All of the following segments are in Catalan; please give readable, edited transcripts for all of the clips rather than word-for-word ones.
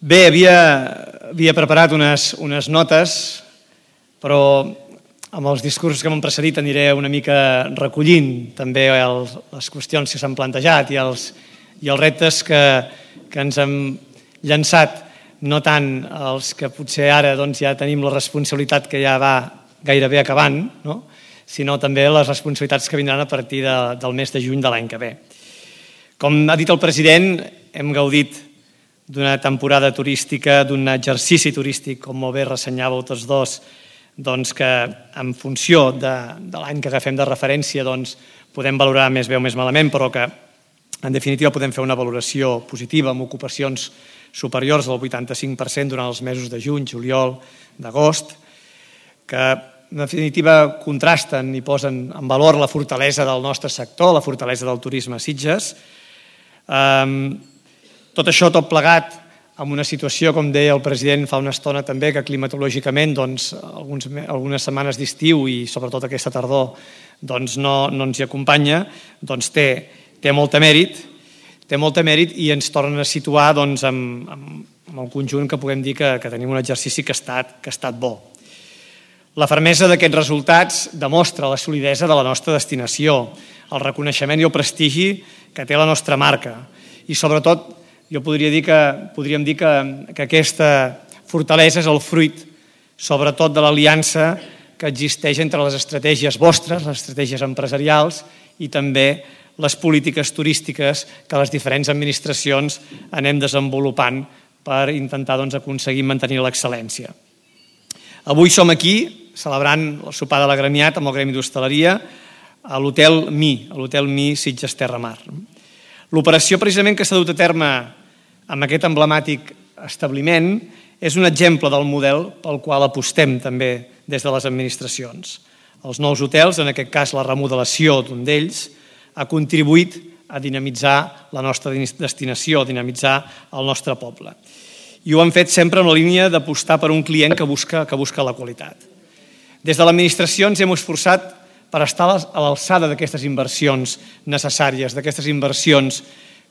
Bé, havia preparat unes notes, però amb els discursos que m'han precedit aniré una mica recollint també les qüestions que s'han plantejat i els reptes que ens hem llançat, no tant els que potser ara ja tenim la responsabilitat que ja va gairebé acabant, sinó també les responsabilitats que vindran a partir del mes de juny de l'any que ve. Com ha dit el president, hem gaudit d'una temporada turística, d'un exercici turístic, com molt bé ressenyàveu tots dos, que en funció de l'any que agafem de referència podem valorar més bé o més malament, però que en definitiva podem fer una valoració positiva amb ocupacions superiors al 85% durant els mesos de juny, juliol, d'agost, que en definitiva contrasten i posen en valor la fortalesa del nostre sector, la fortalesa del turisme a Sitges. Tot això, tot plegat, amb una situació, com deia el president fa una estona també, que climatològicament algunes setmanes d'estiu i sobretot aquesta tardor no ens hi acompanya, té molt mèrit i ens tornen a situar amb el conjunt que puguem dir que tenim un exercici que ha estat bo. La fermesa d'aquests resultats demostra la solidesa de la nostra destinació, el reconeixement i el prestigi que té la nostra marca i sobretot podríem dir que aquesta fortalesa és el fruit sobretot de l'aliança que existeix entre les estratègies vostres, les estratègies empresarials i també les polítiques turístiques que les diferents administracions anem desenvolupant per intentar aconseguir mantenir l'excel·lència. Avui som aquí celebrant el sopar de l'agremiat amb el Gremi d'Hostaleria a l'Hotel Mi Sitges Terra Mar. L'operació precisament que s'ha dut a terme amb aquest emblemàtic establiment és un exemple del model pel qual apostem també des de les administracions. Els nous hotels, en aquest cas la remodelació d'un d'ells, ha contribuït a dinamitzar la nostra destinació, a dinamitzar el nostre poble. I ho han fet sempre en la línia d'apostar per un client que busca la qualitat. Des de l'administració ens hem esforçat per estar a l'alçada d'aquestes inversions necessàries, d'aquestes inversions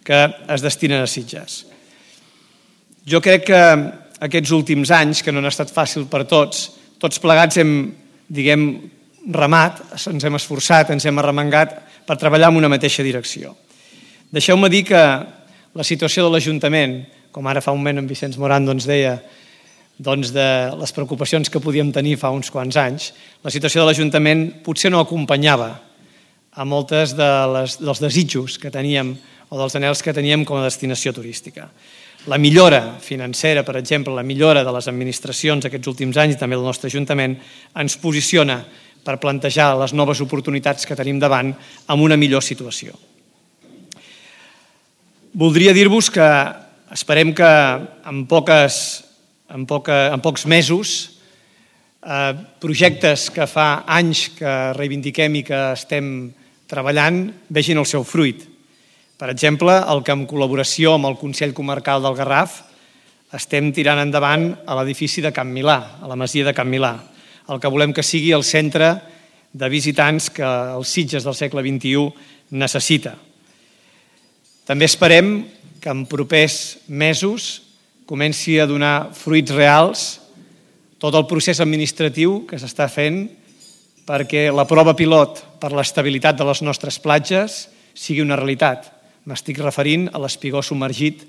que es destinen a Sitges. Jo crec que aquests últims anys, que no han estat fàcils per tots plegats hem remat, ens hem esforçat, ens hem arremangat per treballar en una mateixa direcció. Deixeu-me dir que la situació de l'Ajuntament, com ara fa un moment en Vicenç Moran deia, de les preocupacions que podíem tenir fa uns quants anys, la situació de l'Ajuntament potser no acompanyava a moltes dels desitjos que teníem o dels anhels que teníem com a destinació turística. La millora financera, per exemple, la millora de les administracions aquests últims anys i també del nostre Ajuntament ens posiciona per plantejar les noves oportunitats que tenim davant amb una millor situació. Voldria dir-vos que esperem que en pocs mesos projectes que fa anys que reivindiquem i que estem treballant vegin el seu fruit. Per exemple, el que en col·laboració amb el Consell Comarcal del Garraf estem tirant endavant a l'edifici de Can Milà, a la masia de Can Milà, el que volem que sigui el centre de visitants que els Sitges del segle XXI necessita. També esperem que en propers mesos comenci a donar fruits reals tot el procés administratiu que s'està fent perquè la prova pilot per l'estabilitat de les nostres platges sigui una realitat. M'estic referint a l'espigó submergit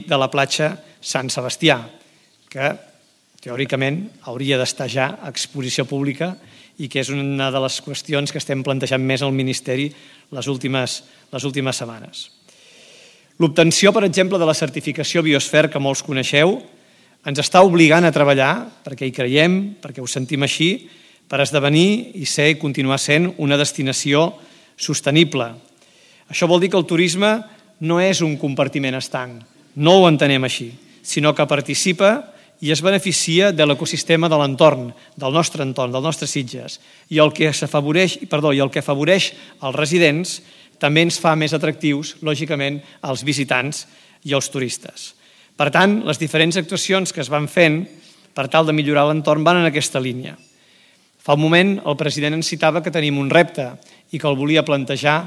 de la platja Sant Sebastià, que teòricament hauria d'estar ja a exposició pública i que és una de les qüestions que estem plantejant més al Ministeri les últimes setmanes. L'obtenció, per exemple, de la certificació Biosfera, que molts coneixeu, ens està obligant a treballar, perquè hi creiem, perquè ho sentim així, per esdevenir i ser i continuar sent una destinació sostenible. Això vol dir que el turisme no és un compartiment estanc, no ho entenem així, sinó que participa i es beneficia de l'ecosistema de l'entorn, del nostre Sitges. I el que afavoreix els residents també ens fa més atractius, lògicament, als visitants i als turistes. Per tant, les diferents actuacions que es van fent per tal de millorar l'entorn van en aquesta línia. Fa un moment el president ens citava que tenim un repte i que el volia plantejar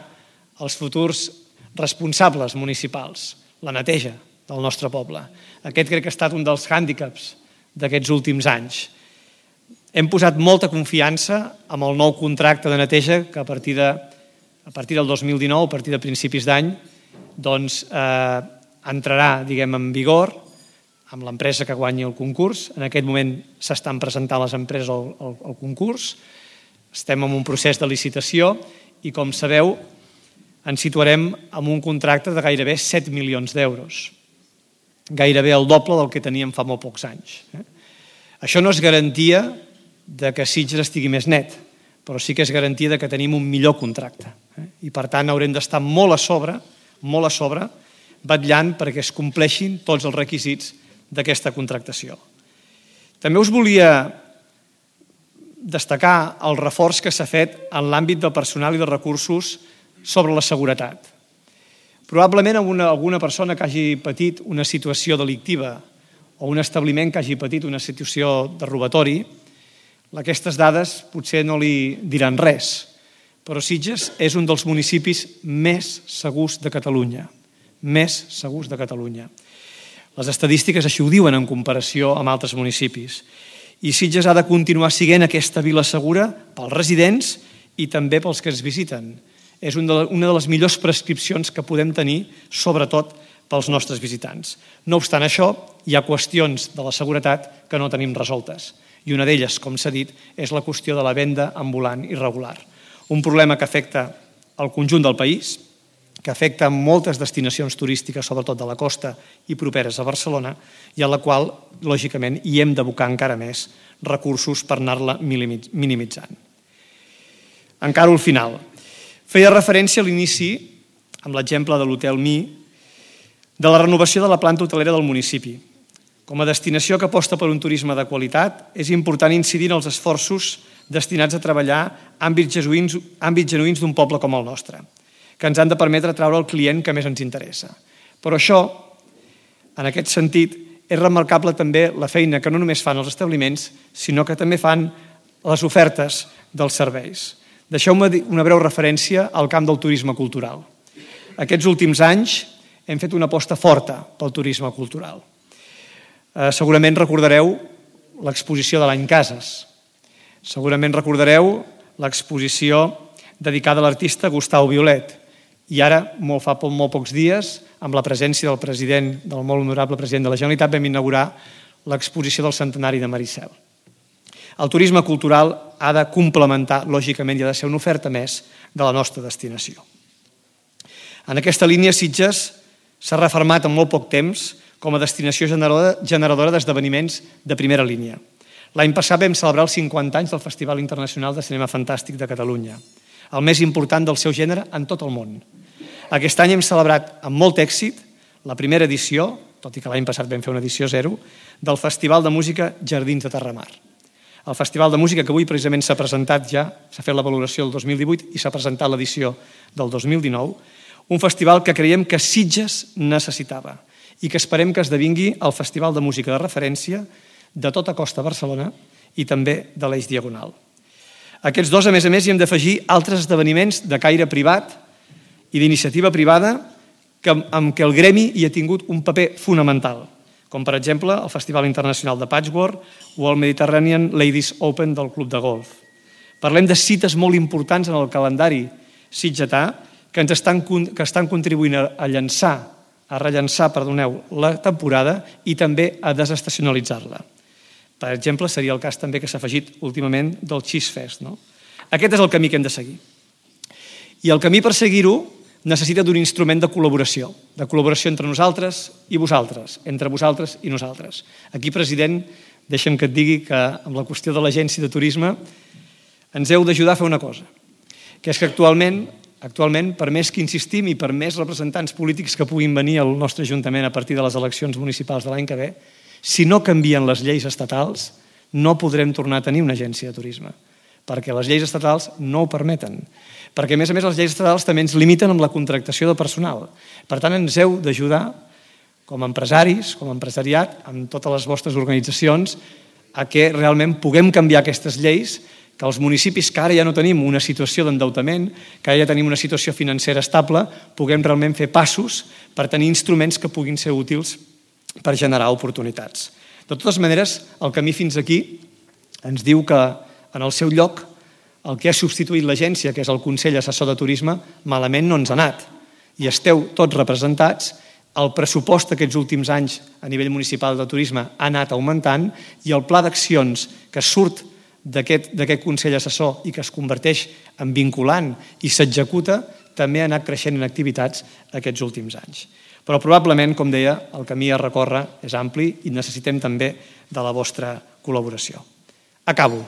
als futurs responsables municipals, la neteja del nostre poble. Aquest crec que ha estat un dels hàndicaps d'aquests últims anys. Hem posat molta confiança amb el nou contracte de neteja que a partir del 2019, a partir de principis d'any, entrarà, en vigor amb l'empresa que guanyi el concurs. En aquest moment s'estan presentant les empreses al concurs. Estem en un procés de licitació i, com sabeu, ens situarem amb un contracte de gairebé 7 milions d'euros. Gairebé el doble del que teníem fa molt pocs anys. Això no és garantia que Sitges estigui més net, però sí que és garantia que tenim un millor contracte. I, per tant, haurem d'estar molt a sobre, vetllant perquè es compleixin tots els requisits d'aquesta contractació. També us volia destacar el reforç que s'ha fet en l'àmbit del personal i de recursos sobre la seguretat. Probablement alguna persona que hagi patit una situació delictiva o un establiment que hagi patit una situació de robatori, aquestes dades potser no li diran res, però Sitges és un dels municipis més segurs de Catalunya. Més segurs de Catalunya. Les estadístiques així ho diuen en comparació amb altres municipis. I Sitges ha de continuar sent aquesta vila segura pels residents i també pels que ens visiten. És una de les millors prescripcions que podem tenir, sobretot pels nostres visitants. No obstant això, hi ha qüestions de la seguretat que no tenim resoltes. I una d'elles, com s'ha dit, és la qüestió de la venda ambulant irregular. Un problema que afecta el conjunt del país, que afecta moltes destinacions turístiques, sobretot de la costa i properes a Barcelona, i a la qual, lògicament, hi hem d'abocar encara més recursos per anar-la minimitzant. Encara al final. Feia referència a l'inici, amb l'exemple de l'Hotel Mi, de la renovació de la planta hotelera del municipi. Com a destinació que aposta per un turisme de qualitat, és important incidir en els esforços destinats a treballar àmbits genuïns d'un poble com el nostre, que ens han de permetre atraure el client que més ens interessa. Però això, en aquest sentit, és remarcable també la feina que no només fan els establiments, sinó que també fan les ofertes dels serveis. Deixeu-me una breu referència al camp del turisme cultural. Aquests últims anys hem fet una aposta forta pel turisme cultural. Segurament recordareu l'exposició de l'any Cases. Segurament recordareu l'exposició dedicada a l'artista Gustau Violet. I ara, fa molt pocs dies, amb la presència del molt honorable president de la Generalitat, vam inaugurar l'exposició del centenari de Maricel. El turisme cultural ha de complementar, lògicament, i ha de ser una oferta més de la nostra destinació. En aquesta línia, Sitges s'ha refermat en molt poc temps com a destinació generadora d'esdeveniments de primera línia. L'any passat vam celebrar els 50 anys del Festival Internacional de Cinema Fantàstic de Catalunya, el més important del seu gènere en tot el món. Aquest any hem celebrat amb molt èxit la primera edició, tot i que l'any passat vam fer una edició 0, del Festival de Música Jardins de Terramar. El Festival de Música que avui precisament s'ha presentat ja, s'ha fet la valoració del 2018 i s'ha presentat l'edició del 2019, un festival que creiem que Sitges necessitava i que esperem que esdevingui el festival de música de referència de tota Costa Barcelona i també de l'Eix Diagonal. Aquests dos, a més, hi hem d'afegir altres esdeveniments de caire privat i d'iniciativa privada amb què el gremi hi ha tingut un paper fonamental, com per exemple el Festival Internacional de Patchwork o el Mediterranean Ladies Open del Club de Golf. Parlem de cites molt importants en el calendari sitgetà que estan contribuint a rellançar la temporada i també a desestacionalitzar-la. Per exemple, seria el cas també que s'ha afegit últimament del Cheese Fest. Aquest és el camí que hem de seguir. I el camí per seguir-ho necessita d'un instrument de col·laboració entre nosaltres i vosaltres, entre vosaltres i nosaltres. Aquí, president, deixa'm que et digui que amb la qüestió de l'agència de turisme ens heu d'ajudar a fer una cosa, que és que actualment, per més que insistim i per més representants polítics que puguin venir al nostre Ajuntament a partir de les eleccions municipals de l'any que ve, si no canvien les lleis estatals, no podrem tornar a tenir una agència de turisme, perquè les lleis estatals no ho permeten. Perquè, a més, les lleis estatals també ens limiten amb la contractació de personal. Per tant, ens heu d'ajudar, com a empresaris, com a empresariat, amb totes les vostres organitzacions, a que realment puguem canviar aquestes lleis, que els municipis que ara ja no tenim una situació d'endeutament, que ara ja tenim una situació financera estable, puguem realment fer passos per tenir instruments que puguin ser útils per generar oportunitats. De totes maneres, el camí fins aquí ens diu que en el seu lloc el que ha substituït l'agència, que és el Consell Assessor de Turisme, malament no ens ha anat. I esteu tots representats, el pressupost aquests últims anys a nivell municipal de turisme ha anat augmentant i el pla d'accions que surt d'aquest Consell Assessor i que es converteix en vinculant i s'executa també ha anat creixent en activitats aquests últims anys. Però probablement, com deia, el camí a recórrer és ampli i necessitem també de la vostra col·laboració. Acabo.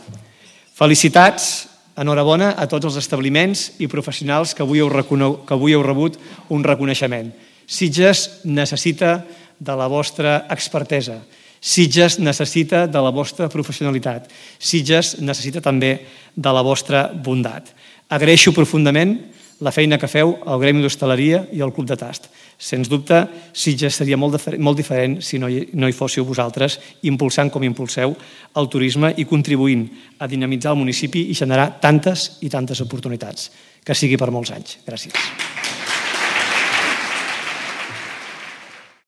Felicitats, enhorabona a tots els establiments i professionals que avui heu rebut un reconeixement. Sitges necessita de la vostra expertesa. Sitges necessita de la vostra professionalitat. Sitges necessita també de la vostra bondat. Agraeixo profundament la feina que feu al Gremi d'Hostaleria i al Club de Tast. Sens dubte, Sitges seria molt diferent si no hi fóssiu vosaltres impulsant com impulseu el turisme i contribuint a dinamitzar el municipi i generar tantes i tantes oportunitats. Que sigui per molts anys. Gràcies.